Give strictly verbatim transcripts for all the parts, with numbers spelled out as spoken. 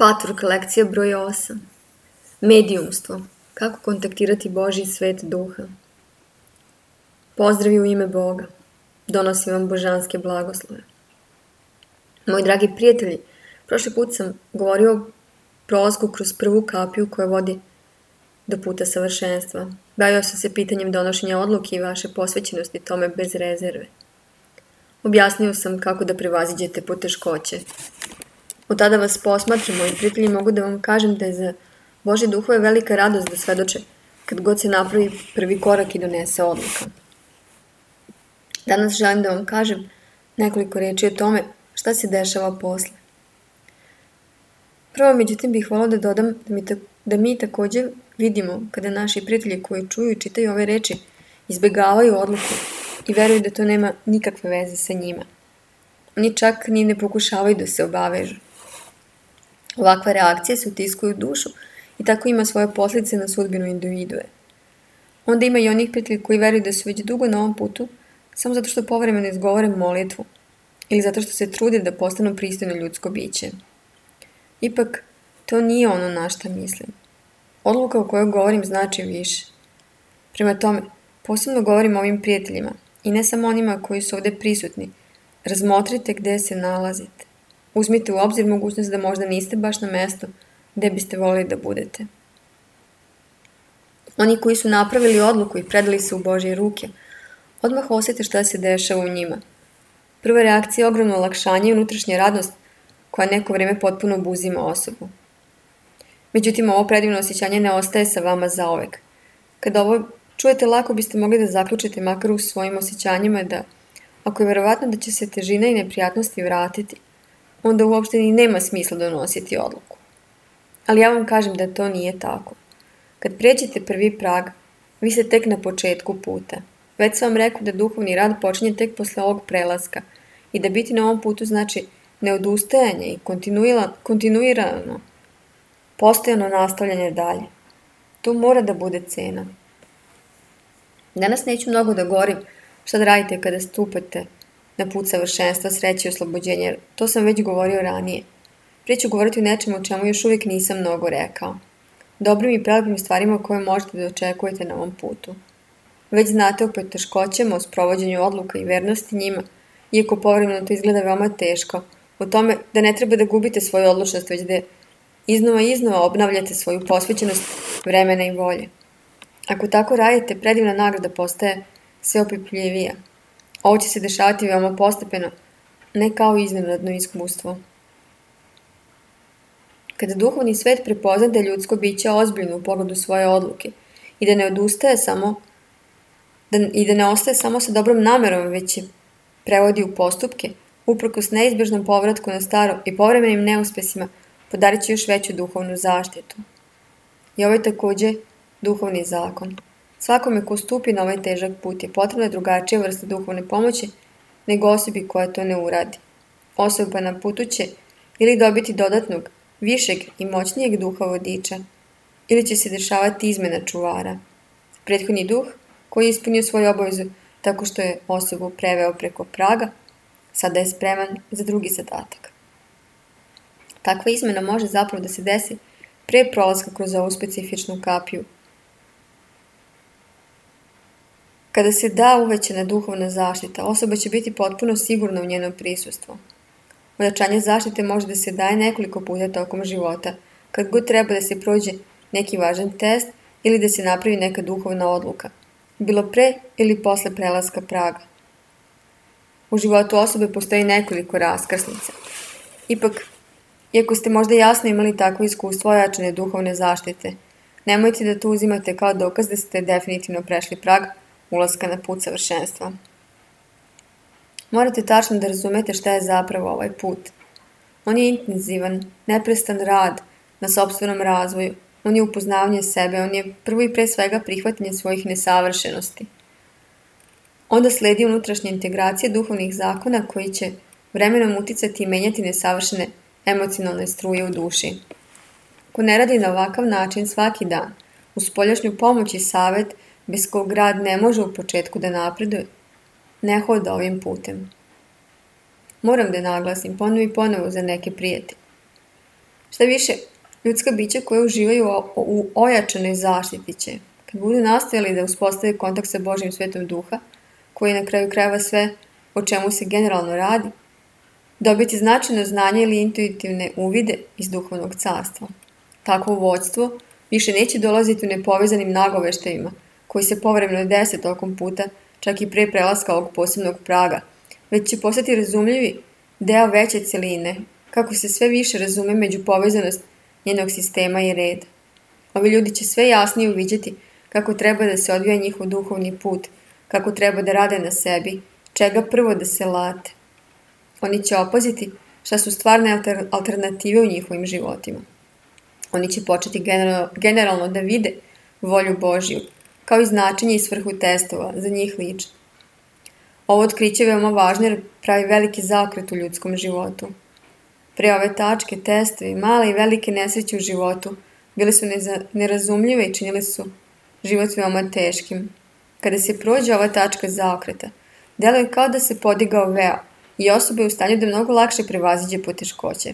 Patvork lekcija broj osam. Medijumstvo. Kako kontaktirati Božji svet duha. Pozdravi u ime Boga. Donosim vam božanske blagoslove. Moji dragi prijatelji, prošli put sam govorio o prolasku kroz prvu kapiju koja vodi do puta savršenstva. Bavio sam se pitanjem donošenja odluke i vaše posvećenosti tome bez rezerve. Objasnio sam kako da prevaziđete poteškoće. Od tada vas posmatram, moji prijatelji, mogu da vam kažem da je za Božje duhove velika radost da svedoče kad god se napravi prvi korak i donese odluka. Danas želim da vam kažem nekoliko reči o tome šta se dešava posle. Prvo, međutim, bih volila da dodam da mi, ta, da mi također vidimo kada naši prijatelji koji čuju i čitaju ove reči izbegavaju odluku i veruju da to nema nikakve veze sa njima. Oni čak ni ne pokušavaju da se obavežu. Ovakva reakcija se utiskuju u dušu i tako ima svoje posljedice na sudbinu individue. Onda ima i onih prijatelji koji veruju da su već dugo na ovom putu samo zato što povremeno izgovore molitvu ili zato što se trude da postanu pristojno ljudsko biće. Ipak, to nije ono na šta mislim. Odluka o kojoj govorim znači više. Prema tome, posebno govorim o ovim prijateljima i ne samo onima koji su ovdje prisutni. Razmotrite gdje se nalazite. Uzmite u obzir mogućnost da možda niste baš na mjestu gdje biste volili da budete. Oni koji su napravili odluku i predali se u Božje ruke, odmah osjete šta se dešava u njima. Prva reakcija je ogromno olakšanje i unutrašnja radnost koja neko vrijeme potpuno obuzima osobu. Međutim, ovo predivno osjećanje ne ostaje sa vama zaovek. Kada ovo čujete, lako biste mogli da zaključite makar u svojim osjećanjima da, ako je vjerovatno da će se težina i neprijatnosti vratiti, onda uopšte ni nema smisla donositi odluku. Ali ja vam kažem da to nije tako. Kad pređete prvi prag, vi ste tek na početku puta. Već sam vam rekao da duhovni rad počinje tek posle ovog prelaska i da biti na ovom putu znači neodustajanje i kontinuirano, postojano nastavljanje dalje. To mora da bude cena. Danas neću mnogo da govorim šta da radite kada stupate na put savršenstva, sreće i oslobođenja, jer to sam već govorio ranije. Prije ću govoriti o nečemu o čemu još uvijek nisam mnogo rekao. Dobrim i prelepim stvarima koje možete da očekujete na ovom putu. Već znate o poteškoćama, o sprovođenju odluka i vernosti njima, iako povremeno to izgleda veoma teško, o tome da ne treba da gubite svoju odlučnost, već da iznova i iznova obnavljate svoju posvećenost vremena i volje. Ako tako radite, predivna nagrada postaje sve opipljivija. Ovo će se dešavati veoma postepeno, ne kao iznenadno iskustvo. Kada duhovni svet prepozna da je ljudsko biće ozbiljno u pogledu svoje odluke i da ne odustaje samo da, i da ne ostaje samo sa dobrom namerom, već je prevodi u postupke, uprkos neizbježnom povratku na staro i povremenim neuspesima, podarit će još veću duhovnu zaštitu. I ovo je također duhovni zakon. Svakome ko stupi na ovaj težak put je potrebna drugačija vrsta duhovne pomoći nego osobi koja to ne uradi. Osoba na putu će ili dobiti dodatnog, višeg i moćnijeg duha vodiča, ili će se dešavati izmena čuvara. Prethodni duh, koji je ispunio svoju obavezu tako što je osobu preveo preko praga, sada je spreman za drugi zadatak. Takva izmena može zapravo da se desi pre prolaska kroz ovu specifičnu kapiju. Kada se da uvećana duhovna zaštita, osoba će biti potpuno sigurna u njeno prisustvo. Ojačanje zaštite može da se daje nekoliko puta tokom života, kad god treba da se prođe neki važan test ili da se napravi neka duhovna odluka, bilo pre ili posle prelaska praga. U životu osobe postoji nekoliko raskrsnica. Ipak, iako ste možda jasno imali takvo iskustvo ojačane duhovne zaštite, nemojte da to uzimate kao dokaz da ste definitivno prešli prag ulaska na put savršenstva. Morate tačno da razumete šta je zapravo ovaj put. On je intenzivan, neprestan rad na sopstvenom razvoju, on je upoznavanje sebe, on je prvo i pre svega prihvatanje svojih nesavršenosti. Onda sledi unutrašnja integracija duhovnih zakona koji će vremenom uticati i menjati nesavršene emocionalne struje u duši. Ko ne radi na ovakav način svaki dan, uz spoljašnju pomoć i savjet, bez kog rad ne može u početku da napreduje, ne hoda ovim putem. Moram da naglasim ponovo i ponovo za neke prijatelje. Šta više, ljudska bića koja uživaju u ojačanoj zaštiti će, kad budu nastojali da uspostave kontakt sa Božjim svetom duha, koji je na kraju krajeva sve o čemu se generalno radi, dobiti značajno znanje ili intuitivne uvide iz duhovnog carstva. Takvo vođstvo više neće dolaziti u nepovezanim nagoveštajima, koji se povremeno dese tokom puta, čak i pre prelaska ovog posebnog praga, već će postati razumljivi deo veće celine, kako se sve više razume međupovezanost njenog sistema i reda. Ovi ljudi će sve jasnije uviđati kako treba da se odvija njihov duhovni put, kako treba da rade na sebi, čega prvo da se late. Oni će opaziti šta su stvarne alternative u njihovim životima. Oni će početi generalno da vide volju Božju, kao i značenje i svrhu testova za njih lično. Ovo otkriće je veoma važno jer pravi veliki zaokret u ljudskom životu. Pre ove tačke, testovi, male i velike nesreće u životu bile su nerazumljive i činile su život veoma teškim. Kada se prođe ova tačka zaokreta, deluje kao da se podigao veo i osoba je u stanju da mnogo lakše prevaziđe poteškoće.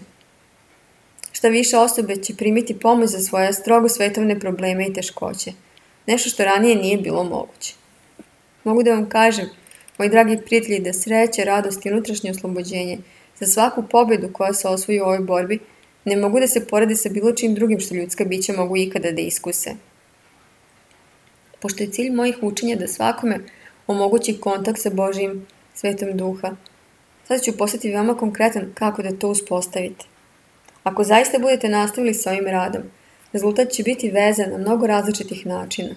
Šta više, osobe će primiti pomoć za svoje strogo svetovne probleme i teškoće, nešto što ranije nije bilo moguće. Mogu da vam kažem, moji dragi prijatelji, da sreće, radost i unutrašnje oslobođenje za svaku pobedu koja se osvoji u ovoj borbi ne mogu da se porede sa bilo čim drugim što ljudska bića mogu ikada da iskuse. Pošto je cilj mojih učenja da svakome omogući kontakt sa Božjim svetom duha, sada ću postati veoma konkretan kako da to uspostavite. Ako zaista budete nastavili sa ovim radom, rezultat će biti vezan na mnogo različitih načina.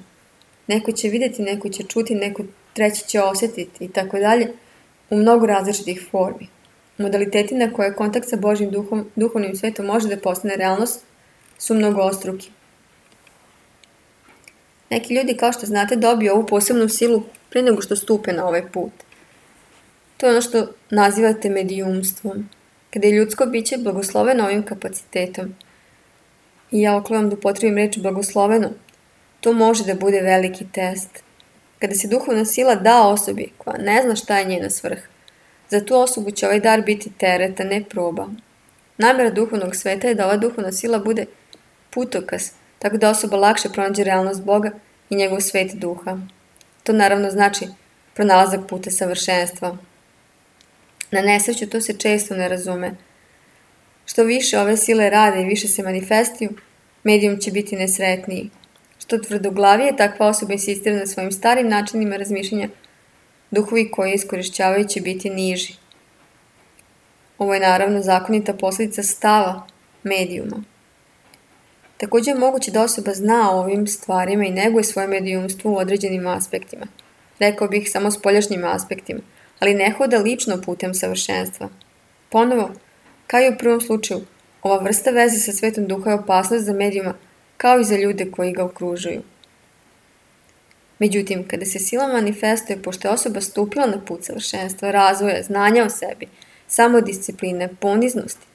Neko će vidjeti, neko će čuti, neko treći će osjetiti i tako dalje u mnogo različitih formi. Modaliteti na koje kontakt sa Božjim duhom, duhovnim svetom može da postane realnost su mnogostruki. Neki ljudi, kao što znate, dobiju ovu posebnu silu pre nego što stupe na ovaj put. To je ono što nazivate medijumstvom, kada je ljudsko biće blagosloveno ovim kapacitetom. I ja oklevam da upotrebim reč blagosloveno, to može da bude veliki test. Kada se duhovna sila da osobi koja ne zna šta je njena svrha, za tu osobu će ovaj dar biti teret, a ne proba. Namera duhovnog sveta je da ova duhovna sila bude putokaz, tako da osoba lakše pronađe realnost Boga i njegov svet duha. To naravno znači pronalazak puta savršenstva. Na nesreću to se često ne razume. Što više ove sile rade i više se manifestuju, medijum će biti nesretniji. Što tvrdoglavije takva osoba insistira na svojim starim načinima razmišljanja, duhovi koji iskorišćavaju će biti niži. Ovo je naravno zakonita posljedica stava medijuma. Također je moguće da osoba zna o ovim stvarima i neguje svoje medijumstvo u određenim aspektima. Rekao bih samo spoljašnjim aspektima, ali ne hoda lično putem savršenstva. Ponovo, kao i u prvom slučaju, ova vrsta veze sa svetom duha je opasnost za medijuma, kao i za ljude koji ga okružuju. Međutim, kada se sila manifestuje, pošto je osoba stupila na put savršenstva, razvoja, znanja o sebi, samodiscipline, poniznosti,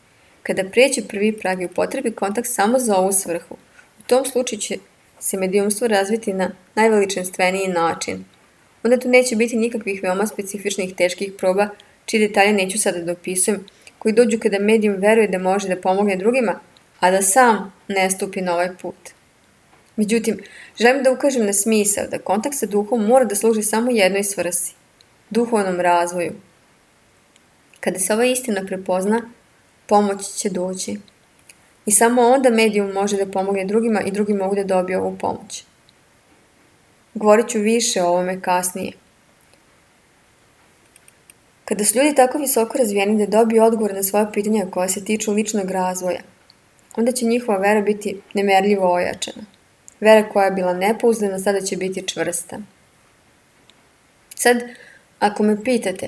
kada pređe prvi prag i upotrebi kontakt samo za ovu svrhu, u tom slučaju će se medijumstvo razviti na najveličanstveniji način. Onda tu neće biti nikakvih veoma specifičnih teških proba, čiji detalje neću sada da opisujem, koji dođu kada medijum veruje da može da pomogne drugima, a da sam ne stupi na ovaj put. Međutim, želim da ukažem na smisao da kontakt sa duhom mora da služi samo jednoj svrsi, duhovnom razvoju. Kada se ova istina prepozna, pomoć će doći. I samo onda medijum može da pomogne drugima i drugi mogu da dobiju ovu pomoć. Govorit ću više o ovome kasnije. Kada su ljudi tako visoko razvijeni da dobiju odgovor na svoje pitanja koja se tiču ličnog razvoja, onda će njihova vera biti nemerljivo ojačana. Vera koja je bila nepouzdana sada će biti čvrsta. Sad, ako me pitate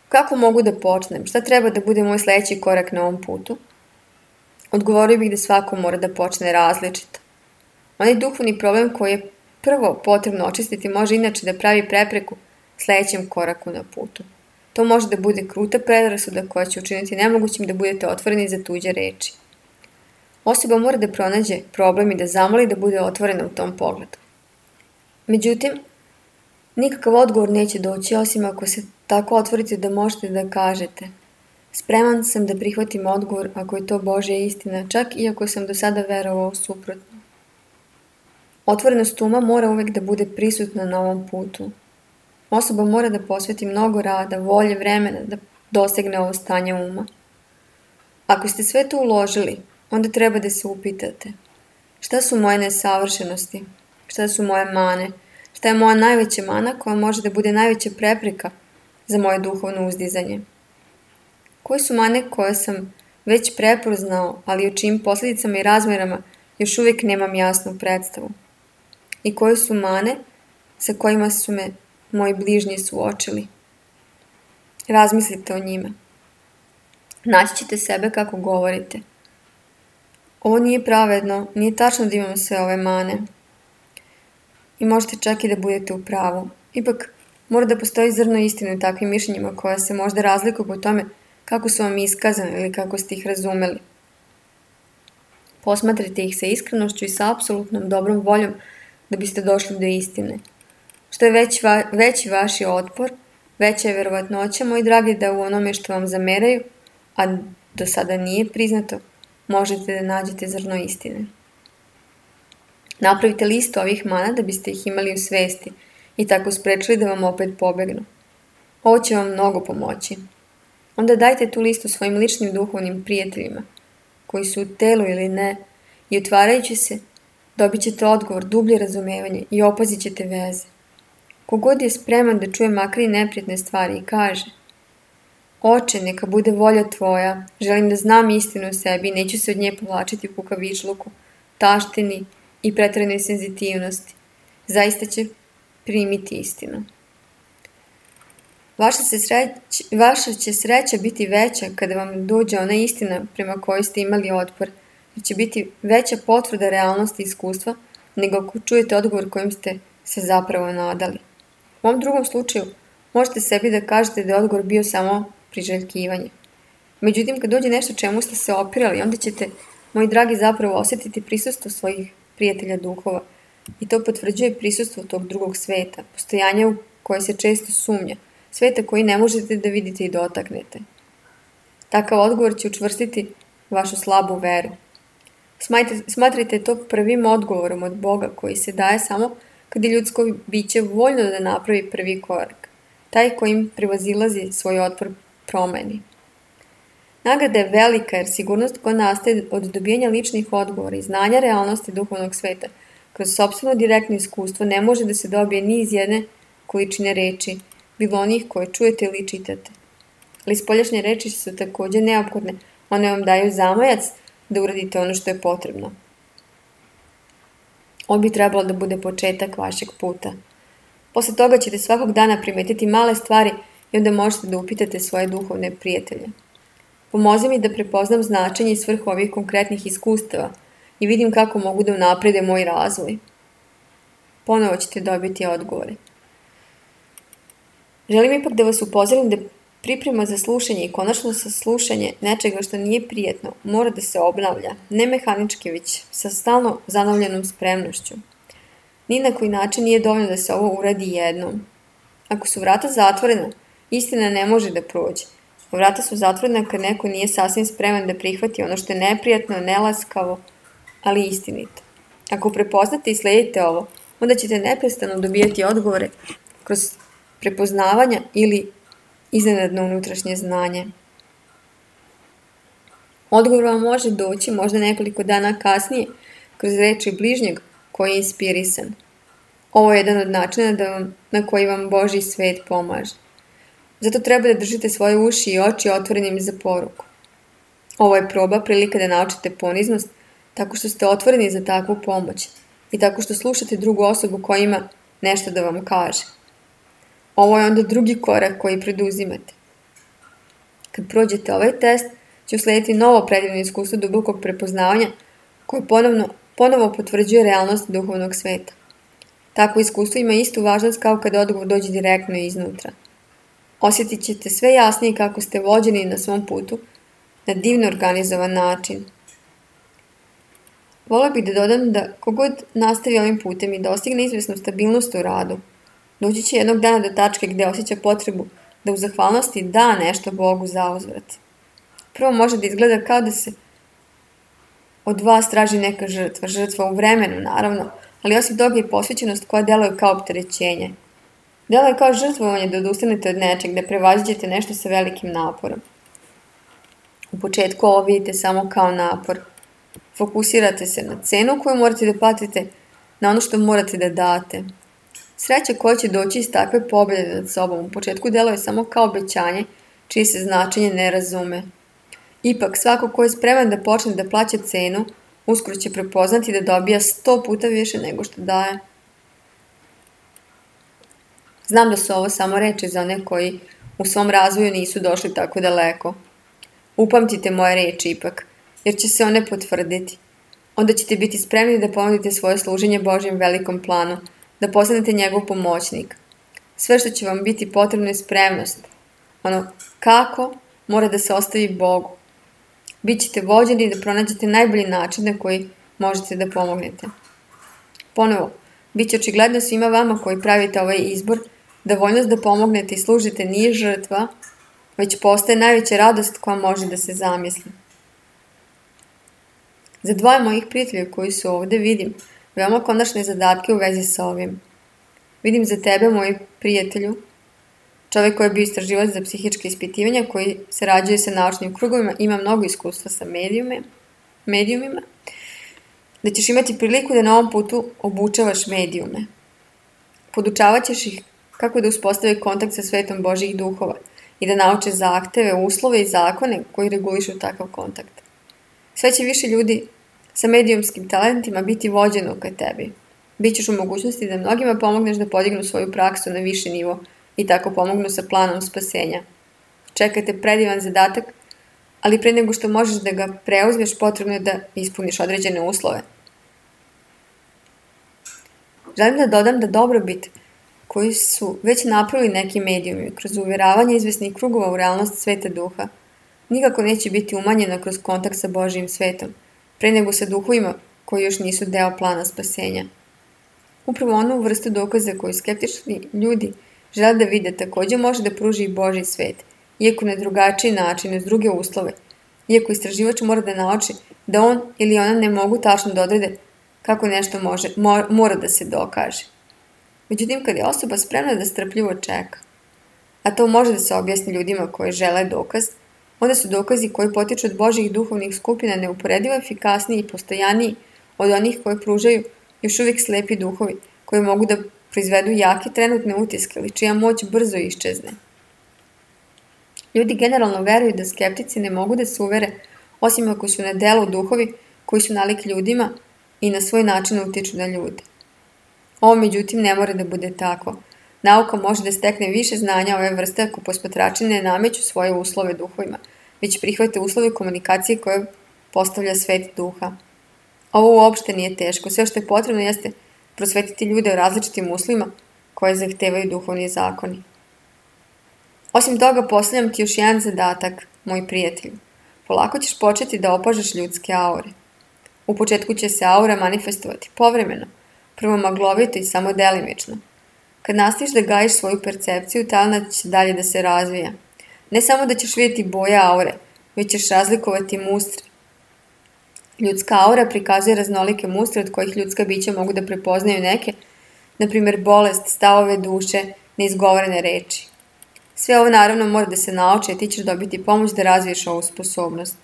kako mogu da počnem, šta treba da bude moj sljedeći korak na ovom putu, odgovorio bih da svako mora da počne različito. Onaj duhovni problem koji je prvo potrebno očistiti može inače da pravi prepreku sljedećem koraku na putu. To može da bude kruta predrasuda koja će učiniti nemogućim da budete otvoreni za tuđe reči. Osoba mora da pronađe problem i da zamoli da bude otvorena u tom pogledu. Međutim, nikakav odgovor neće doći osim ako se tako otvorite da možete da kažete: Spreman sam da prihvatim odgovor ako je to Božja istina, čak i ako sam do sada verovao suprotno. Otvorenost uma mora uvek da bude prisutna na ovom putu. Osoba mora da posveti mnogo rada, volje, vremena da dosegne ovo stanje uma. Ako ste sve to uložili, onda treba da se upitate šta su moje nesavršenosti, šta su moje mane, šta je moja najveća mana koja može da bude najveća prepreka za moje duhovno uzdizanje. Koje su mane koje sam već prepoznao, ali o čijim posljedicama i razmerama još uvijek nemam jasnu predstavu? I koje su mane sa kojima su me moji bližnji suočili? Razmislite o njima. Naći ćete sebe kako govorite. Ovo nije pravedno, nije tačno da imam sve ove mane. I možete čak i da budete u pravu. Ipak, mora da postoji zrno istine u takvim mišljenjima koja se možda razlikuju po tome kako su vam iskazane ili kako ste ih razumeli. Posmatrajte ih sa iskrenošću i sa apsolutnom dobrom voljom da biste došli do istine. Što je već va, veći vaši otpor, veća je verovatnoća, moji dragi, da u onome što vam zameraju, a do sada nije priznato, možete da nađete zrno istine. Napravite listu ovih mana da biste ih imali u svesti i tako sprečili da vam opet pobegnu. Ovo će vam mnogo pomoći. Onda dajte tu listu svojim ličnim duhovnim prijateljima, koji su u telu ili ne, i otvarajući se, dobit ćete odgovor, dublje razumevanje i opazit ćete veze. Kogod je spreman da čuje makar i neprijatne stvari i kaže: Oče, neka bude volja tvoja, želim da znam istinu o sebi i neću se od nje povlačiti u kukavičluku, taštini i pretjeranoj senzitivnosti. Zaista će primiti istinu. Vaša, se sreć, vaša će sreća biti veća kada vam dođe ona istina prema kojoj ste imali otpor, jer će biti veća potvrda realnosti i iskustva nego ako čujete odgovor kojim ste se zapravo nadali. U ovom drugom slučaju možete sebi da kažete da je odgovor bio samo priželjkivanje. Međutim, kad dođe nešto čemu ste se opirali, onda ćete, moji dragi, zapravo osjetiti prisustvo svojih prijatelja duhova i to potvrđuje prisustvo tog drugog sveta, postojanja u koje se često sumnja, sveta koji ne možete da vidite i dotaknete. Takav odgovor će učvrstiti vašu slabu veru. Smatrajte to prvim odgovorom od Boga koji se daje samo kad je ljudsko biće voljno da napravi prvi korak, taj kojim prevazilazi svoj otpor promeni. Nagrada je velika jer sigurnost koja nastaje od dobijanja ličnih odgovora i znanja realnosti duhovnog sveta kroz sopstveno direktno iskustvo ne može da se dobije ni iz jedne količine reči, bilo onih koje čujete ili čitate. Ali spoljašnje reči su također neophodne, one vam daju zamajac da uradite ono što je potrebno. On bi trebalo da bude početak vašeg puta. Posle toga ćete svakog dana primetiti male stvari i onda možete da upitate svoje duhovne prijatelje. Pomozi mi da prepoznam značenje i svrhu ovih konkretnih iskustava i vidim kako mogu da unaprede moj razvoj. Ponovo ćete dobiti odgovore. Želim ipak da vas upozorim da priprema za slušanje i konačno saslušanje nečega što nije prijetno mora da se obnavlja, ne mehanički, već sa stalno zanavljenom spremnošću. Ni na koji način nije dovoljno da se ovo uradi jednom. Ako su vrata zatvorena, istina ne može da prođe. Vrata su zatvorena kad neko nije sasvim spreman da prihvati ono što je neprijatno, nelaskavo, ali istinito. Ako prepoznate i sledite ovo, onda ćete neprestano dobijati odgovore kroz prepoznavanja ili iznenadno unutrašnje znanje. Odgovor vam može doći možda nekoliko dana kasnije kroz reči bližnjeg koji je inspirisan. Ovo je jedan od načina da vam, na koji vam Božji svet pomaže. Zato treba da držite svoje uši i oči otvorenim za poruku. Ovo je proba, prilika da naučite poniznost tako što ste otvoreni za takvu pomoć i tako što slušate drugu osobu koja ima nešto da vam kaže. Ovo je onda drugi korak koji preduzimate. Kad prođete ovaj test, će uslediti novo predivno iskustvo dubokog prepoznavanja koje ponovno, ponovo potvrđuje realnost duhovnog sveta. Takvo iskustvo ima istu važnost kao kada odgovor dođe direktno iznutra. Osjetit ćete sve jasnije kako ste vođeni na svom putu na divno organizovan način. Volio bih da dodam da kogod nastavi ovim putem i dostigne izvesnu stabilnost u radu, doći će jednog dana do tačke gde osjeća potrebu da u zahvalnosti da nešto Bogu za uzvrat. Prvo može da izgleda kao da se od vas traži neka žrtva, žrtva u vremenu, naravno, ali osim toga i posvećenost koja deluje kao opterećenje. Deluje kao žrtvovanje da odustanete od nečeg, da prevaziđete nešto sa velikim naporom. U početku ovo vidite samo kao napor. Fokusirate se na cenu koju morate da platite, na ono što morate da date. Sreća koja će doći iz takve pobjede nad sobom u početku deluje samo kao obećanje, čije se značenje ne razume. Ipak, svako ko je spreman da počne da plaća cenu, uskoro će prepoznati da dobija sto puta više nego što daje. Znam da su ovo samo reči za one koji u svom razvoju nisu došli tako daleko. Upamtite moje reči ipak, jer će se one potvrditi. Onda ćete biti spremni da ponudite svoje služenje Božjem velikom planu, da postanete njegov pomoćnik. Sve što će vam biti potrebno je spremnost. Ono kako mora da se ostavi Bogu. Bićete vođeni da pronađete najbolji način na koji možete da pomognete. Ponovo, bit će očigledno svima vama koji pravite ovaj izbor da voljnost da pomognete i služite nije žrtva, već postaje najveća radost koja može da se zamisli. Za dvoje mojih prijatelja koji su ovde vidim veoma konačne zadatke u vezi sa ovim. Vidim za tebe, moj prijatelju, čovjek koji je bio istraživač za psihičke ispitivanja, koji sarađuje sa naučnim krugovima, ima mnogo iskustva sa medijume, medijumima, da ćeš imati priliku da na ovom putu obučavaš medijume. Podučavat ćeš ih kako da uspostave kontakt sa svetom Božjih duhova i da nauče zahteve, uslove i zakone koji regulišu takav kontakt. Sve će više ljudi sa medijumskim talentima biti vođeno ka tebi. Bićeš u mogućnosti da mnogima pomogneš da podignu svoju praksu na viši nivo i tako pomognu sa planom spasenja. Čekate predivan zadatak, ali pre nego što možeš da ga preuzmeš, potrebno je da ispuniš određene uslove. Želim da dodam da dobrobit koji su već napravili neki medijumi kroz uvjeravanje izvesnih krugova u realnost sveta duha, nikako neće biti umanjena kroz kontakt sa Božjim svetom, pre nego sa duhovima koji još nisu deo plana spasenja. Upravo onu vrstu dokaza koju skeptični ljudi žele da vide također može da pruži i Božji svet, iako na drugačiji način, uz druge uslove, iako istraživač mora da nauči da on ili ona ne mogu tačno da odrede kako nešto može, mora da se dokaže. Međutim, kad je osoba spremna da strpljivo čeka, a to može da se objasni ljudima koji žele dokaz, onda su dokazi koji potiču od Božjih duhovnih skupina neuporedivo efikasniji i postojaniji od onih koje pružaju još uvijek slepi duhovi, koji mogu da proizvedu jake trenutne utiske, ali čija moć brzo iščezne. Ljudi generalno veruju da skeptici ne mogu da se uvere, osim ako su na delu duhovi koji su nalik ljudima i na svoj način utiču na ljude. Ovo, međutim, ne mora da bude tako. Nauka može da stekne više znanja ove vrste ako posmatrači ne nameću svoje uslove duhovima, već prihvate uslove komunikacije koje postavlja svet duha. Ovo uopšte nije teško. Sve što je potrebno jeste prosvetiti ljude o različitim uslovima koje zahtevaju duhovni zakoni. Osim toga, postavljam ti još jedan zadatak, moj prijatelju. Polako ćeš početi da opažaš ljudske aure. U početku će se aura manifestovati povremeno, prvo maglovito i samo delimično. Kad nastaviš da gajiš svoju percepciju, talent će dalje da se razvija. Ne samo da ćeš vidjeti boje aure, već ćeš razlikovati mustre. Ljudska aura prikazuje raznolike mustre od kojih ljudska bića mogu da prepoznaju neke, na primjer bolest, stavove duše, neizgovorene reči. Sve ovo naravno mora da se nauči, a ti ćeš dobiti pomoć da razviješ ovu sposobnost.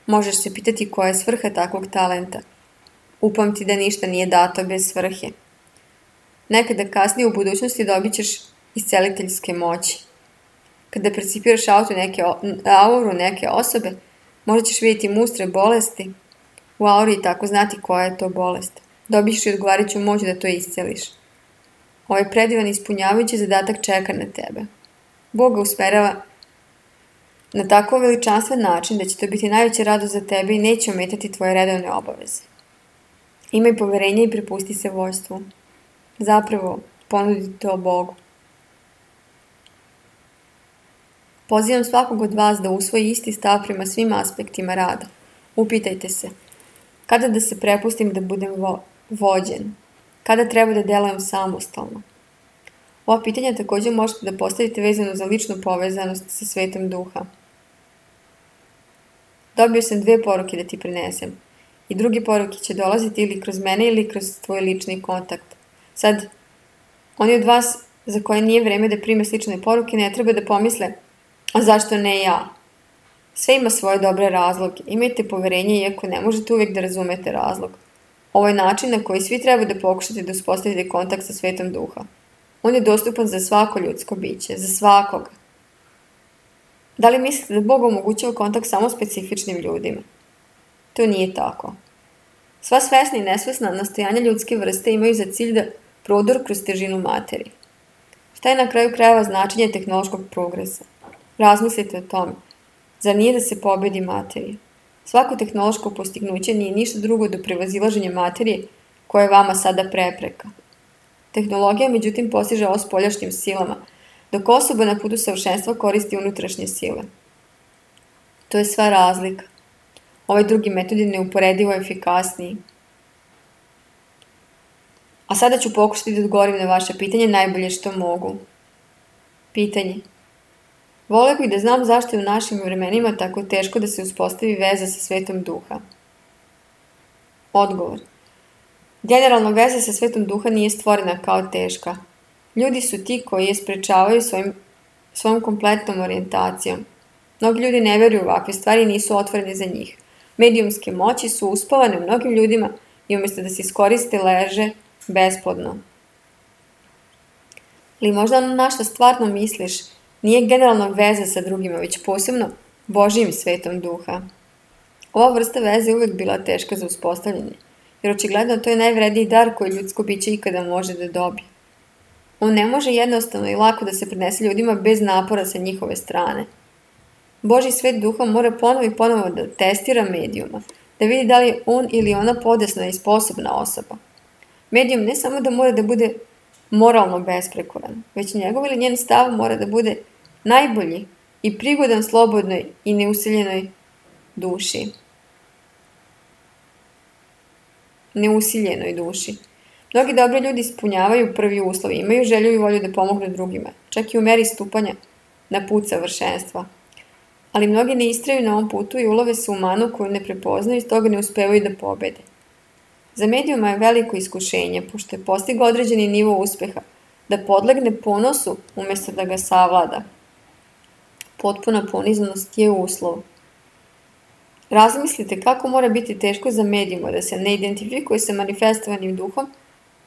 Možeš se pitati koja je svrha takvog talenta. Upamti da ništa nije dato bez svrhe. Nekada kasnije u budućnosti dobit ćeš isceliteljske moći. Kada percipiraš neke, auru neke osobe, možda ćeš vidjeti mustre bolesti u auri i tako znati koja je to bolest. Dobiš i odgovarajuću moć da to isceliš. Ovaj predivan ispunjavajući zadatak čeka na tebe. Bog ga usmerava na tako veličanstven način da će to biti najveća radost za tebe i neće ometati tvoje redovne obaveze. Imaj poverenje i prepusti se vođstvu. Zapravo, ponudi to Bogu. Pozivam svakog od vas da usvoji isti stav prema svim aspektima rada. Upitajte se, kada da se prepustim da budem vo- vođen? Kada treba da delujem samostalno? Ova pitanja također možete da postavite vezano za ličnu povezanost sa svetom duha. Dobio sam dve poruke da ti prenesem. I druge poruke će dolaziti ili kroz mene ili kroz tvoj lični kontakt. Sad, oni od vas za koje nije vreme da prime slične poruke ne treba da pomisle, a zašto ne ja? Sve ima svoje dobre razloge. Imajte poverenje iako ne možete uvijek da razumete razlog. Ovo je način na koji svi treba da pokušate da uspostavite kontakt sa svetom duha. On je dostupan za svako ljudsko biće, za svakoga. Da li mislite da Bog omogućava kontakt samo specifičnim ljudima? To nije tako. Sva svesna i nesvesna nastojanja ljudske vrste imaju za cilj da prodor kroz težinu materije. Šta je na kraju krajeva značenje tehnološkog progresa? Razmislite o tome. Zar nije da se pobedi materija? Svako tehnološko postignuće nije ništa drugo do prevazilaženja materije koja je vama sada prepreka. Tehnologija, međutim, postiže ovo spoljašnjim silama, dok osoba na putu savršenstva koristi unutrašnje sile. To je sva razlika. Ovaj drugi metod je neuporedivo efikasniji. A sada ću pokušati da odgovorim na vaše pitanje najbolje što mogu. Pitanje. Voleo bih da znam zašto je u našim vremenima tako teško da se uspostavi veza sa svetom duha. Odgovor. Generalno veza sa svetom duha nije stvorena kao teška. Ljudi su ti koji je sprečavaju svojim, svojom kompletnom orijentacijom. Mnogi ljudi ne veruju u ovakve stvari i nisu otvoreni za njih. Medijumske moći su uspavane u mnogim ljudima i umjesto da se iskoriste leže besplodno. Ili možda ono na što stvarno misliš nije generalna veza sa drugima, već posebno Božijim svetom duha. Ova vrsta veze je uvijek bila teška za uspostavljanje, jer očigledno to je najvredniji dar koji ljudsko biće ikada može da dobije. On ne može jednostavno i lako da se prenese ljudima bez napora sa njihove strane. Božji svet duha mora ponovo i ponovo da testira medijuma, da vidi da li je on ili ona podesna i sposobna osoba. Medijum ne samo da mora da bude moralno besprekoran, već njegov ili njen stav mora da bude najbolji i prigodan slobodnoj i neusiljenoj duši. Neusiljenoj duši. Mnogi dobri ljudi ispunjavaju prvi uslov, imaju želju i volju da pomognu drugima, čak i u meri stupanja na put savršenstva. Ali mnogi ne istraju na ovom putu i ulove se u manu koju ne prepoznaju i stoga ne uspevaju da pobede. Za medijuma je veliko iskušenje, pošto je postigao određeni nivo uspeha, da podlegne ponosu umjesto da ga savlada. Potpuna poniznost je uslov. Razmislite kako mora biti teško za medijuma da se ne identifikuje sa manifestovanim duhom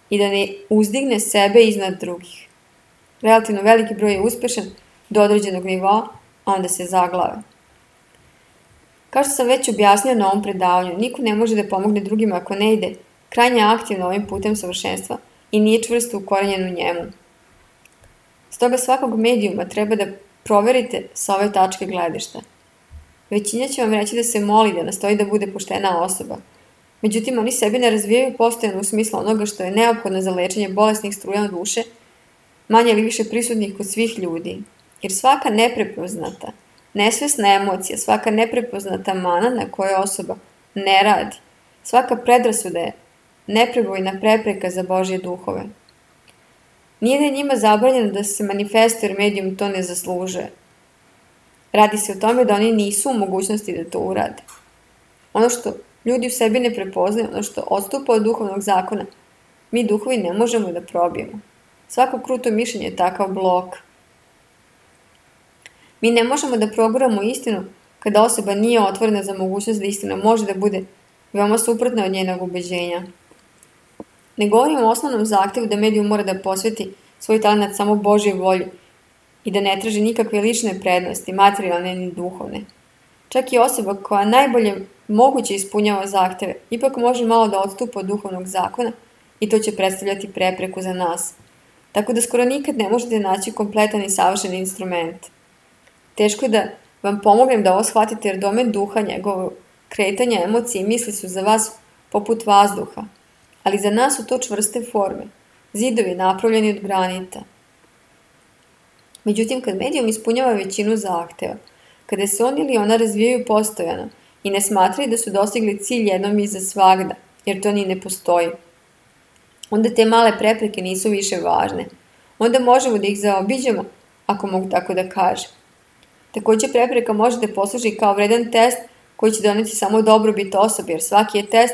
i da ne uzdigne sebe iznad drugih. Relativno veliki broj je uspešan do određenog nivoa, a onda se zaglave. Kao što sam već objasnio na ovom predavanju, niko ne može da pomogne drugima ako ne ide krajnje aktivno ovim putem savršenstva i nije čvrsto ukorenjen u njemu. Stoga svakog medijuma treba da proverite sa ove tačke gledišta. Većina će vam reći da se moli, da nastoji da bude poštena osoba. Međutim, oni sebi ne razvijaju postojano u smislu onoga što je neophodno za lečenje bolesnih struja duše, manje ili više prisutnih kod svih ljudi. Jer svaka neprepoznata, nesvesna emocija, svaka neprepoznata mana na kojoj osoba ne radi, svaka predrasuda je neprebojna prepreka za Božje duhove. Nije da je njima zabranjeno da se manifestuje jer medijum to ne zaslužuje. Radi se o tome da oni nisu u mogućnosti da to urade. Ono što ljudi u sebi ne prepoznaju, ono što odstupa od duhovnog zakona, mi duhovi ne možemo da probijemo. Svako kruto mišljenje je takav blok. Mi ne možemo da proguramo istinu kada osoba nije otvorena za mogućnost da istina može da bude veoma suprotna od njenog ubeđenja. Ne govorimo o osnovnom zahtevu da medijum mora da posveti svoj talenat samo Božjoj volji i da ne traži nikakve lične prednosti, materijalne ni duhovne. Čak i osoba koja najbolje moguće ispunjava zahteve, ipak može malo da odstupa od duhovnog zakona i to će predstavljati prepreku za nas. Tako da skoro nikad ne možete naći kompletan i savršen instrument. Teško je da vam pomognem da ovo shvatite jer domen duha, njegovo kretanje, emocije i misli su za vas poput vazduha, ali za nas su to čvrste forme, zidovi napravljeni od granita. Međutim, kad medijum ispunjava većinu zahteva, kada se on ili ona razvijaju postojano i ne smatraju da su dostigli cilj jednom i za svagda, jer to ni ne postoji, onda te male prepreke nisu više važne. Onda možemo da ih zaobiđemo, ako mogu tako da kažem. Također prepreka može da posluži kao vredan test koji će doneti samo dobrobit osobi, jer svaki je test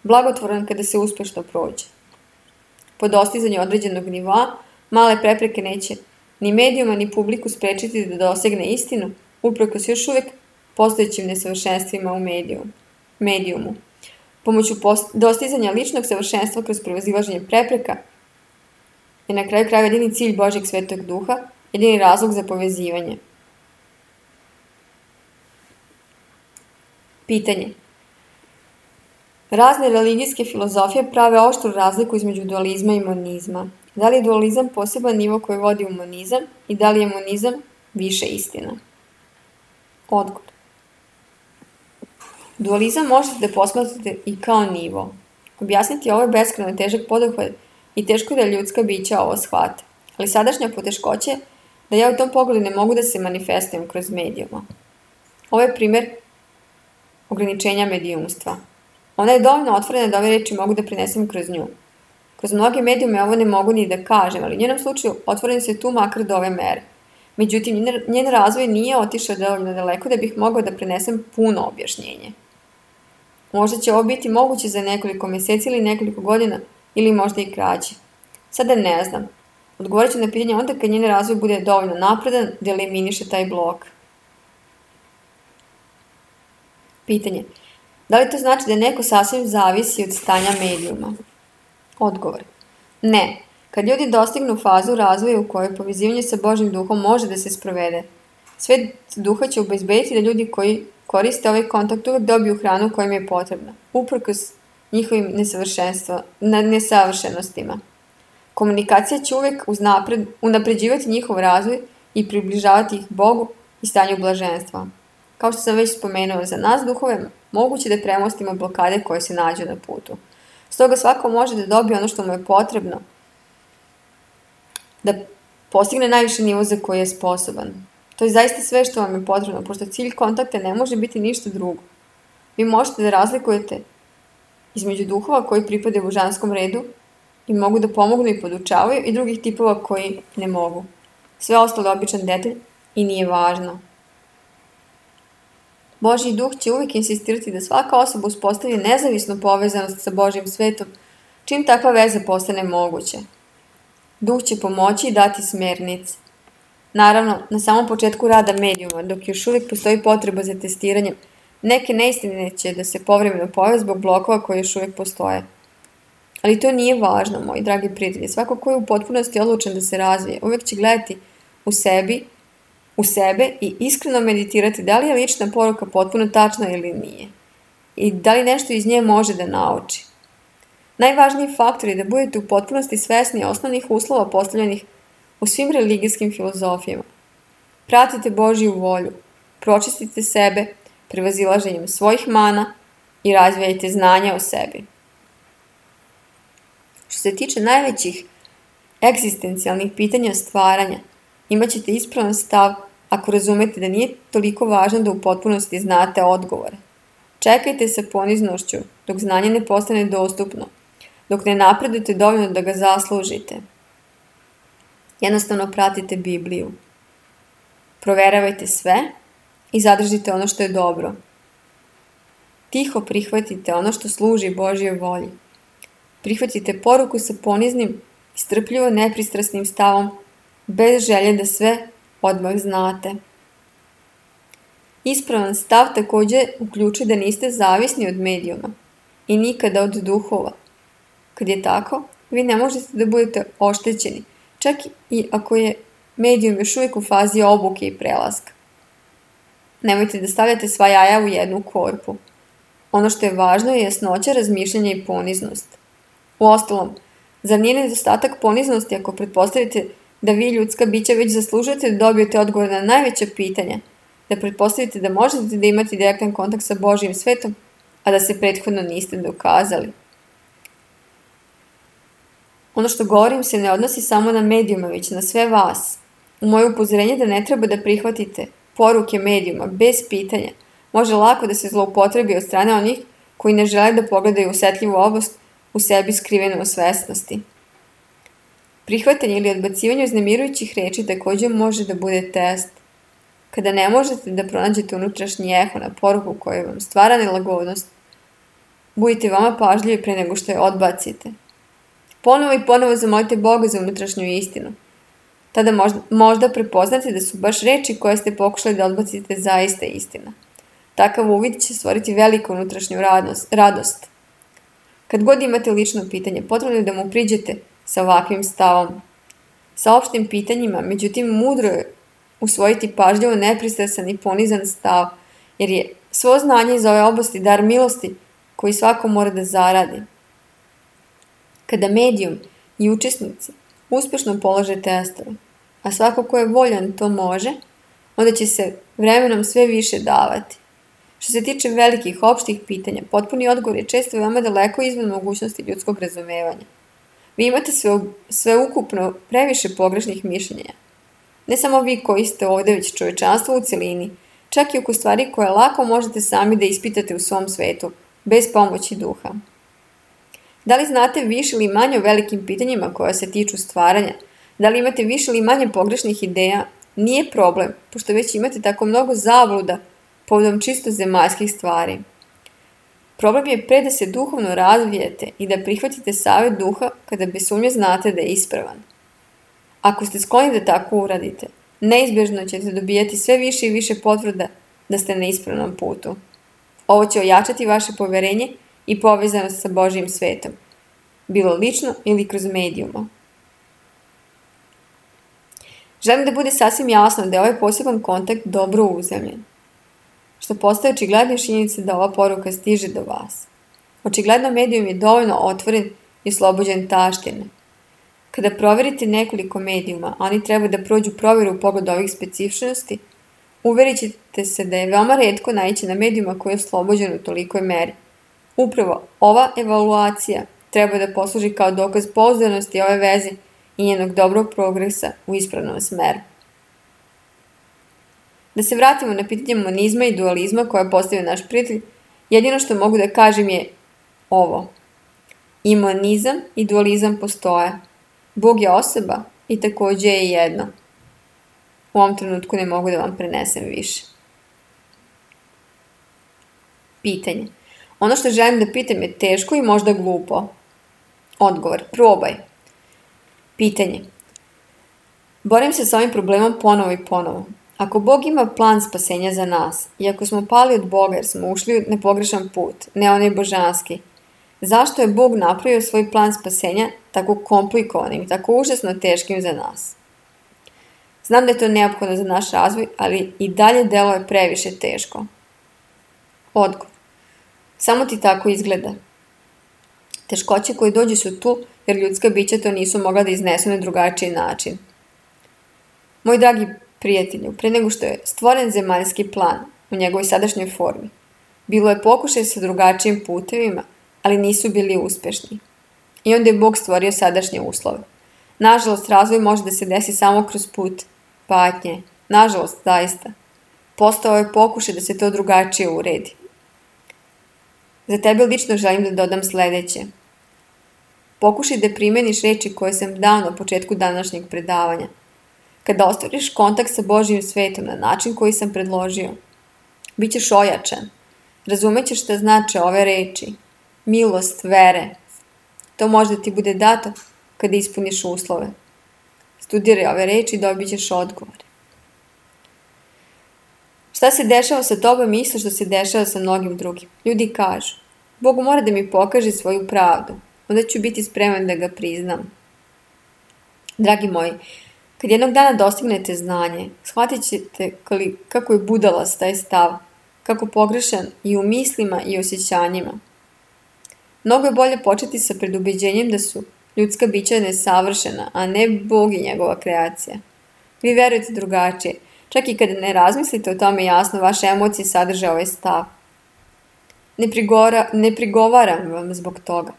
blagotvoran kada se uspešno prođe. Po dostizanju određenog nivoa, male prepreke neće ni medijuma ni publiku sprečiti da dosegne istinu, uprkos još uvek postojećim nesavršenstvima u medijumu. Pomoću dostizanja ličnog savršenstva kroz prevazilaženje prepreka je na kraju krajeva jedini cilj Božjeg Svetog Duha, jedini razlog za povezivanje. Pitanje. Razne religijske filozofije prave oštru razliku između dualizma i monizma. Da li je dualizam poseban nivo koji vodi u monizam i da li je monizam više istina? Odgovor. Dualizam možete da posmatrate i kao nivo. Objasniti ovo je beskrajno težak poduhvat i teško da ljudska bića ovo shvate. Ali sadašnja poteškoća je da ja u tom pogledu ne mogu da se manifestujem kroz medijuma. Ovo je primer ograničenja medijumstva. Ona je dovoljno otvorena da ove reči mogu da prenesem kroz nju. Kroz mnoge medijume ovo ne mogu ni da kažem, ali u njenom slučaju otvoren se tu makar do ove mere. Međutim, njen razvoj nije otišao dovoljno daleko da bih mogao da prenesem puno objašnjenje. Možda će ovo biti moguće za nekoliko meseci ili nekoliko godina, ili možda i kraće. Sada ne znam. Odgovorit ću na pitanje onda kad njen razvoj bude dovoljno napredan da eliminiše taj blok. Pitanje. Da li to znači da neko sasvim zavisi od stanja medijuma? Odgovor. Ne. Kad ljudi dostignu fazu razvoja u kojoj povezivanje sa Božjim duhom može da se sprovede, Svet duha će obezbediti da ljudi koji koriste ovaj kontakt uvek dobiju hranu koja im je potrebna, uprkos njihovim nesavršenostima. Komunikacija će uvek unapređivati njihov razvoj i približavati ih Bogu i stanju blaženstva. Kao što sam već spomenuo, za nas duhove moguće da premostimo blokade koje se nađu na putu. Stoga svako može da dobije ono što mu je potrebno, da postigne najviši nivo za koji je sposoban. To je zaista sve što vam je potrebno, pošto cilj kontakta ne može biti ništa drugo. Vi možete da razlikujete između duhova koji pripadaju božanskom redu i mogu da pomognu i podučavaju i drugih tipova koji ne mogu. Sve ostalo je običan detalj i nije važno. Božji duh će uvijek insistirati da svaka osoba uspostavi nezavisnu povezanost sa Božjim svetom, čim takva veza postane moguća. Duh će pomoći i dati smernice. Naravno, na samom početku rada medijuma, dok još uvijek postoji potreba za testiranjem, neke neistine će da se povremeno pojave zbog blokova koji još uvijek postoje. Ali to nije važno, moji dragi prijatelji. Svako ko je u potpunosti odlučen da se razvije, uvijek će gledati u sebi, u sebe i iskreno meditirati da li je lična poruka potpuno tačna ili nije. I da li nešto iz nje može da nauči. Najvažniji faktor je da budete u potpunosti svesni osnovnih uslova postavljenih u svim religijskim filozofijama. Pratite Božju volju, pročistite sebe prevazilaženjem svojih mana i razvijajte znanja o sebi. Što se tiče najvećih egzistencijalnih pitanja stvaranja, imat ćete ispravan stav ako razumete da nije toliko važno da u potpunosti znate odgovore. Čekajte sa poniznošću dok znanje ne postane dostupno, dok ne napredujete dovoljno da ga zaslužite. Jednostavno pratite Bibliju. Proveravajte sve i zadržite ono što je dobro. Tiho prihvatite ono što služi Božjoj volji. Prihvatite poruku sa poniznim i strpljivo nepristrasnim stavom, bez želje da sve odmah znate. Ispravan stav također uključuje da niste zavisni od medijuma i nikada od duhova. Kad je tako, vi ne možete da budete oštećeni, čak i ako je medijum još uvijek u fazi obuke i prelaska. Nemojte da stavljate sva jaja u jednu korpu. Ono što je važno je jasnoća, razmišljanja i poniznost. Uostalom, zar nije nedostatak poniznosti ako pretpostavite da vi, ljudska bića, već zaslužujete da dobijete odgovor na najveća pitanja, da pretpostavite da možete da imate direktan kontakt sa Božjim svetom, a da se prethodno niste dokazali. Ono što govorim se ne odnosi samo na medijuma, već na sve vas. U moje upozorenje da ne treba da prihvatite poruke medijuma bez pitanja može lako da se zloupotrebi od strane onih koji ne žele da pogledaju osetljivu oblast u sebi skrivenu u svesnosti. Prihvatanje ili odbacivanje uznemirujućih reči također može da bude test. Kada ne možete da pronađete unutrašnji eho na poruku koja vam stvara nelagodnost, budite vama pažljivi pre nego što je odbacite. Ponovo i ponovo zamolite Boga za unutrašnju istinu. Tada možda, možda prepoznate da su baš reči koje ste pokušali da odbacite zaista istina. Takav uvid će stvoriti veliku unutrašnju radost. radost. Kad god imate lično pitanje, potrebno je da mu priđete sa ovakvim stavom. Sa opštim pitanjima, međutim, mudro je usvojiti pažljivo nepristrasan i ponizan stav, jer je svo znanje iz ove oblasti dar milosti koji svako mora da zaradi. Kada medijum i učesnici uspešno polože testove, a svako ko je voljan to može, onda će se vremenom sve više davati. Što se tiče velikih opštih pitanja, potpuni odgovor je često veoma daleko izvan mogućnosti ljudskog razumevanja. Vi imate sve, sve ukupno previše pogrešnih mišljenja. Ne samo vi koji ste ovde, već čovečanstvo u celini, čak i oko stvari koje lako možete sami da ispitate u svom svetu, bez pomoći duha. Da li znate više ili manje o velikim pitanjima koja se tiču stvaranja? Da li imate više ili manje pogrešnih ideja? Nije problem, pošto već imate tako mnogo zabluda povodom čisto zemaljskih stvari. Problem je pre da se duhovno razvijete i da prihvatite savjet duha kada bez sumnje znate da je ispravan. Ako ste skloni da tako uradite, neizbježno ćete dobijati sve više i više potvrda da ste na ispravnom putu. Ovo će ojačati vaše poverenje i povezanost sa Božjim svetom, bilo lično ili kroz medijuma. Želim da bude sasvim jasno da je ovaj poseban kontakt dobro uzemljen, što postaje očigledno činjenica da ova poruka stiže do vas. Očigledno medijum je dovoljno otvoren i oslobođen taštine. Kada proverite nekoliko medijuma, oni treba da prođu provjeru u pogledu ovih specifičnosti, uverit ćete se da je veoma retko naići na medijuma koji je oslobođen u tolikoj meri. Upravo ova evaluacija treba da posluži kao dokaz pouzdanosti ove veze i njenog dobrog progresa u ispravnom smeru. Da se vratimo na pitanje monizma i dualizma koje je postavio naš prijatelj, jedino što mogu da kažem je ovo. I monizam i dualizam postoje. Bog je osoba i takođe je jedno. U ovom trenutku ne mogu da vam prenesem više. Pitanje. Ono što želim da pitam je teško i možda glupo. Odgovor. Probaj. Pitanje. Borim se s ovim problemom ponovo i ponovo. Ako Bog ima plan spasenja za nas i ako smo pali od Boga jer smo ušli na pogrešan put, ne onaj božanski, zašto je Bog napravio svoj plan spasenja tako komplikovanim i tako užasno teškim za nas? Znam da je to neophodno za naš razvoj, ali i dalje delo je previše teško. Odgovor. Samo ti tako izgleda. Teškoće koje dođu su tu jer ljudska bića to nisu mogla da iznesu na drugačiji način. Moj dragi prijatelju, pre nego što je stvoren zemaljski plan u njegovoj sadašnjoj formi, bilo je pokušaj sa drugačijim putevima, ali nisu bili uspešni. I onda je Bog stvorio sadašnje uslove. Nažalost, razvoj može da se desi samo kroz put patnje. Nažalost, zaista. Postao je pokušaj da se to drugačije uredi. Za tebe lično želim da dodam sledeće. Pokušaj da primeniš reči koje sam dao na početku današnjeg predavanja. Kada ostvariš kontakt sa Božjim svetom na način koji sam predložio, bit ćeš ojačan. Razumećeš šta znače ove reči. Milost, vere. To može da ti bude dato kada ispuniš uslove. Studiraj ove reči i dobit ćeš odgovor. Šta se dešava sa tobom isto što se dešava sa mnogim drugim? Ljudi kažu, Bog mora da mi pokaže svoju pravdu, onda ću biti spreman da ga priznam. Dragi moji, kad jednog dana dostignete znanje, shvatit ćete kako je budalast taj stav, kako pogrešan i u mislima i osjećanjima. Mnogo je bolje početi sa predubeđenjem da su ljudska bića nesavršena, a ne Bog i njegova kreacija. Vi verujete drugačije, čak i kada ne razmislite o tome jasno, vaše emocije sadrže ovaj stav. Ne, prigora, ne prigovaram vam zbog toga.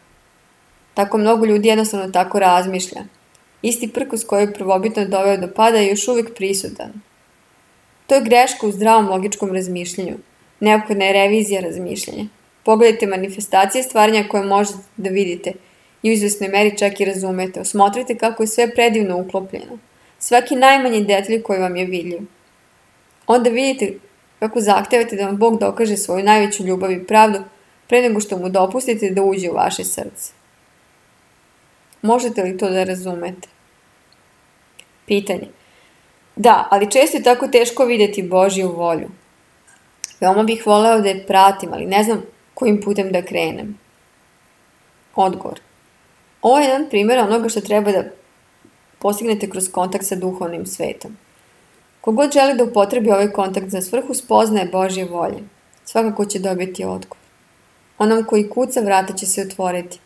Tako mnogo ljudi jednostavno tako razmišlja. Isti prkos koji je prvobitno doveo do pada je još uvijek prisutan. To je greška u zdravom logičkom razmišljanju. Neophodna je revizija razmišljanja. Pogledajte manifestacije stvaranja koje možete da vidite i u izvesnoj meri čak i razumete. Osmotrite kako je sve predivno uklopljeno. Svaki najmanji detalj koji vam je vidljiv. onda vidite kako zahtevate da vam Bog dokaže svoju najveću ljubav i pravdu pre nego što mu dopustite da uđe u vaše srce. Možete li to da razumete? Pitanje. Da, ali često je tako teško vidjeti Božju volju. Veoma bih voleo da je pratim, ali ne znam kojim putem da krenem. Odgovor. Ovo je jedan primjer onoga što treba da postignete kroz kontakt sa duhovnim svetom. Kogod želi da upotrebi ovaj kontakt za svrhu spoznaje Božje volje, svakako će dobiti odgovor. Onom koji kuca, vrata će se otvoriti.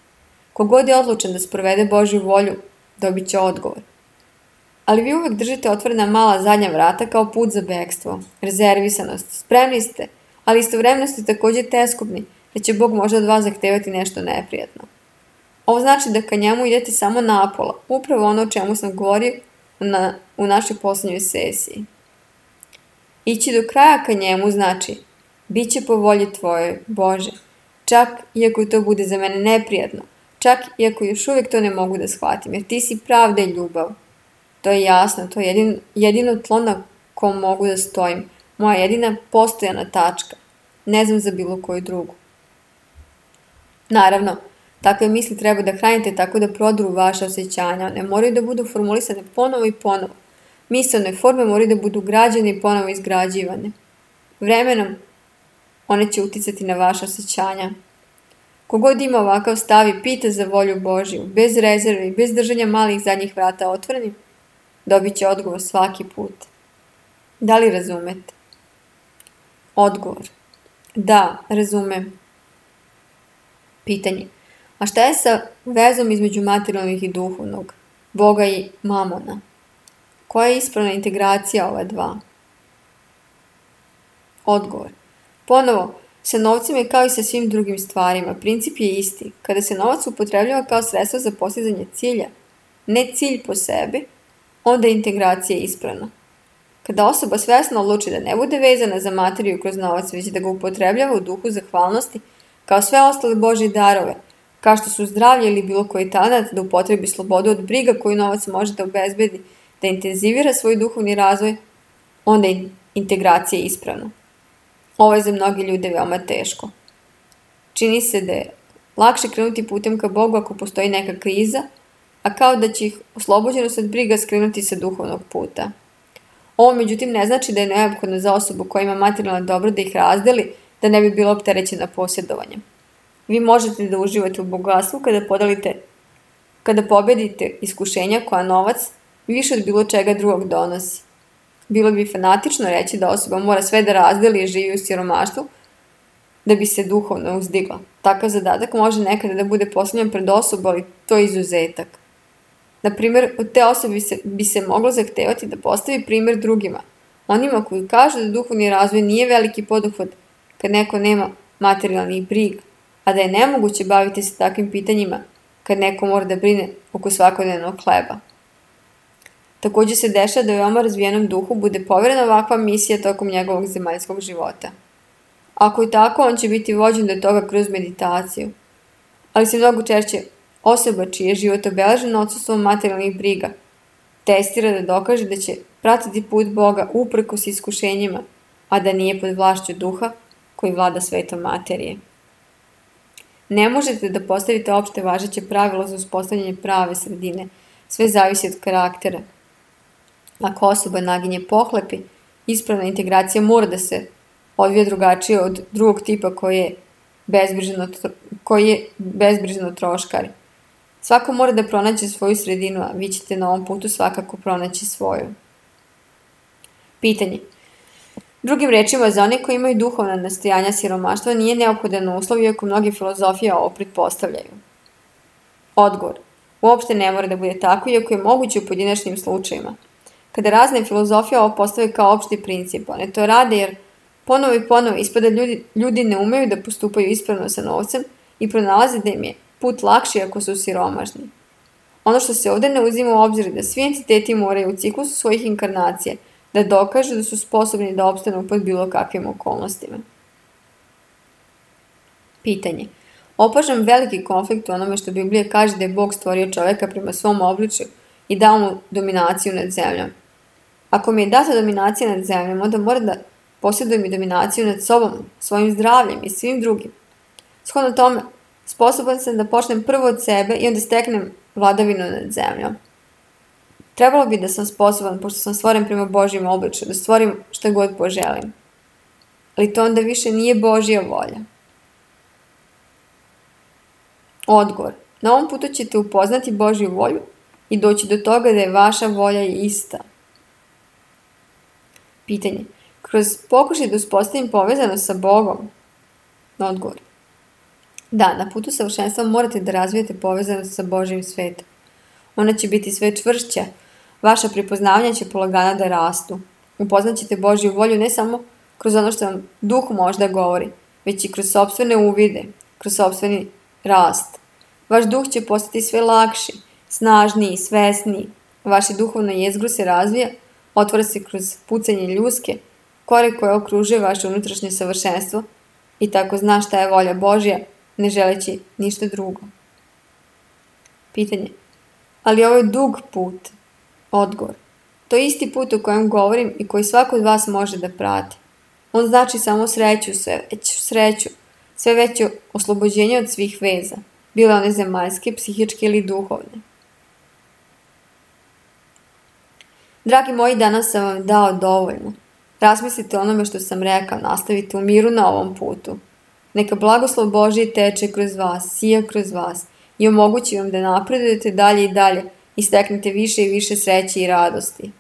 Kogod je odlučen da sprovede Božju volju, dobit će odgovor. Ali vi uvek držite otvorena mala zadnja vrata kao put za bekstvo, rezervisanost, spremni ste, ali istovremeno ste također teskobni, da će Bog možda od vas zahtevati nešto neprijatno. Ovo znači da ka njemu idete samo napola, upravo ono o čemu sam govorio na, u našoj posljednjoj sesiji. Ići do kraja ka njemu znači, bit će po volji tvojoj, Bože, čak iako to bude za mene neprijatno, čak iako još uvijek to ne mogu da shvatim, jer ti si pravda i ljubav. To je jasno, to je jedino, jedino tlo na kom mogu da stojim, moja jedina postojana tačka, ne znam za bilo koju drugu. Naravno, takve misli treba da hranite tako da prodru vaše osjećanja, ne moraju da budu formulisane ponovo i ponovo. Mislene forme moraju da budu građane i ponovo izgrađivane. Vremenom one će uticati na vaše osjećanja. Kogod ima ovakav stav i pita za volju Božju, bez rezerve i bez držanja malih zadnjih vrata otvorenim, dobit će odgovor svaki put. Da li razumete? Odgovor. Da, razumem. Pitanje. A šta je sa vezom između materijalnog i duhovnog, Boga i mamona? Koja je ispravna integracija ova dva? Odgovor. Ponovo, sa novcem je kao i sa svim drugim stvarima. Princip je isti. Kada se novac upotrebljava kao sredstvo za postizanje cilja, ne cilj po sebi, onda je integracija ispravna. Kada osoba svesno odluči da ne bude vezana za materiju kroz novac, već da ga upotrebljava u duhu zahvalnosti, kao sve ostale Božje darove, kao što su zdravlje ili bilo koji talent, da upotrebi slobodu od briga koju novac može da obezbedi, da intenzivira svoj duhovni razvoj, onda je integracija ispravna. Ovo je za mnogi ljude veoma teško. Čini se da je lakše krenuti putem ka Bogu ako postoji neka kriza, a kao da će ih oslobođenost od briga skrenuti sa duhovnog puta. Ovo međutim ne znači da je neophodno za osobu koja ima materijalno dobro da ih razdeli, da ne bi bila opterećena posjedovanjem. Vi možete da uživate u bogatstvu kada podalite, kada pobedite iskušenja koja novac više od bilo čega drugog donosi. Bilo bi fanatično reći da osoba mora sve da razdeli i živi u siromaštvu da bi se duhovno uzdigla. Takav zadatak može nekada da bude postavljen pred osobu, ali to je izuzetak. Na primjer, od te osobe bi se, bi se moglo zahtevati da postavi primjer drugima, onima koji kažu da duhovni razvoj nije veliki poduhvat kad neko nema materijalnih briga, a da je nemoguće baviti se takvim pitanjima kad neko mora da brine oko svakodnevnog hleba. Također se dešava da veoma razvijenom duhu bude poverena ovakva misija tokom njegovog zemaljskog života. Ako je tako, on će biti vođen do toga kroz meditaciju. Ali se mnogo češće osoba čiji je život obeležen odsustvom materijalnih briga testira da dokaže da će pratiti put Boga uprkos iskušenjima, a da nije pod vlašću duha koji vlada svetom materije. Ne možete da postavite opšte važeće pravilo za uspostavljanje prave sredine, sve zavisi od karaktera. Ako osoba naginje pohlepi, ispravna integracija mora da se odvija drugačije od drugog tipa koji je bezbrižno, koji je bezbrižno troškari. Svako mora da pronađe svoju sredinu, a vi ćete na ovom putu svakako pronaći svoju. Pitanje. Drugim rečima, za one koji imaju duhovna nastojanja siromaštva nije neophodan uslov, iako mnoge filozofije ovo pretpostavljaju. Odgovor. Uopšte ne mora da bude tako, iako je moguće u pojedinačnim slučajima. Kada razne filozofije ovo postave kao opšti princip, one to rade jer ponovo i ponovo ispada ljudi, ljudi ne umeju da postupaju ispravno sa novcem i pronalaze da im je put lakši ako su siromašni. Ono što se ovdje ne uzima u obzir je da svi entiteti moraju u ciklusu svojih inkarnacija da dokažu da su sposobni da opstanu pod bilo kakvim okolnostima. Pitanje. Opažam veliki konflikt u onome što Biblija kaže da je Bog stvorio čoveka prema svom obličju i dao mu dominaciju nad zemljom. Ako mi je data dominacija nad zemljom, onda mora da posjedujem i dominaciju nad sobom, svojim zdravljem i svim drugim. Shodno tome, sposoban sam da počnem prvo od sebe i onda steknem vladavinu nad zemljom. Trebalo bi da sam sposoban, pošto sam stvoren prema Božjem obličju, da stvorim šta god poželim. Ali to onda više nije Božja volja. Odgovor. Na ovom putu ćete upoznati Božju volju i doći do toga da je vaša volja ista. Pitanje. Kroz pokušaj da uspostavim povezanost sa Bogom? Odgovor. Da, na putu savršenstva morate da razvijete povezanost sa Božjim svetom. Ona će biti sve čvršća, vaša prepoznavanja će polagana da rastu. Upoznaćete Božju volju ne samo kroz ono što vam duh možda govori, već i kroz sopstvene uvide, kroz sopstveni rast. Vaš duh će postati sve lakši, snažniji, svesniji. Vaše duhovno jezgro se razvija, otvara se kroz pucanje ljuske, kore koje okružuje vaše unutrašnje savršenstvo i tako zna šta je volja Božja, ne želeći ništa drugo. Pitanje. Ali ovo je dug put. Odgovor. To je isti put o kojem govorim i koji svako od vas može da prati. On znači samo sreću, sve veću sreću, sve veće oslobođenje od svih veza, bile one zemaljske, psihičke ili duhovne. Dragi moji, danas sam vam dao dovoljno. Razmislite o onome što sam rekao, nastavite u miru na ovom putu. Neka blagoslov Božji teče kroz vas, sija kroz vas i omogući vam da napredujete dalje i dalje i steknete više i više sreće i radosti.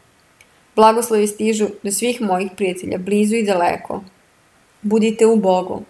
Blagoslovi stižu do svih mojih prijatelja, blizu i daleko. Budite u Bogu.